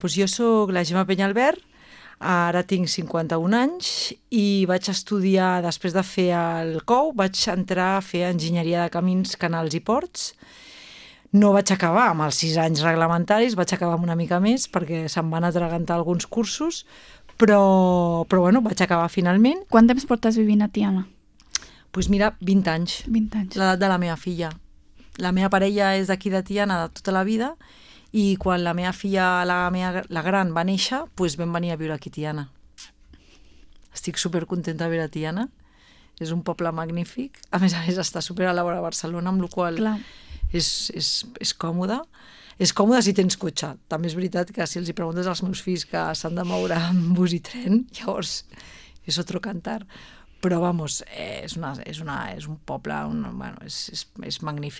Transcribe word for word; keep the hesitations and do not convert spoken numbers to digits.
Doncs jo sóc la Gemma Penyalbert, ara tinc cinquanta-un anys i vaig estudiar, després de fer el C O U, vaig entrar a fer enginyeria de camins, canals i ports. No vaig acabar amb els sis anys reglamentaris, vaig acabar amb una mica més perquè se'm van atragantar alguns cursos, però, però bueno, vaig acabar finalment. Quant temps portes vivint a Tiana? Doncs pues mira, vint anys. vint anys. L'edat de la meva filla. La meva parella és d'aquí de Tiana de tota la vida i quan la meva filla, la, meva, la gran, va néixer, doncs vam venir a viure aquí a Tiana. Estic supercontenta de viure a Tiana. És un poble magnífic. A més a més està super a la vora de Barcelona, amb la qual cosa és, és, és còmode. És còmode si tens cotxe. També és veritat que si els hi preguntes als meus fills que s'han de moure amb bus i tren, llavors és otro cantar. Però, vamos, és, una, és, una, és un poble, un, bueno, és, és, és magnífic.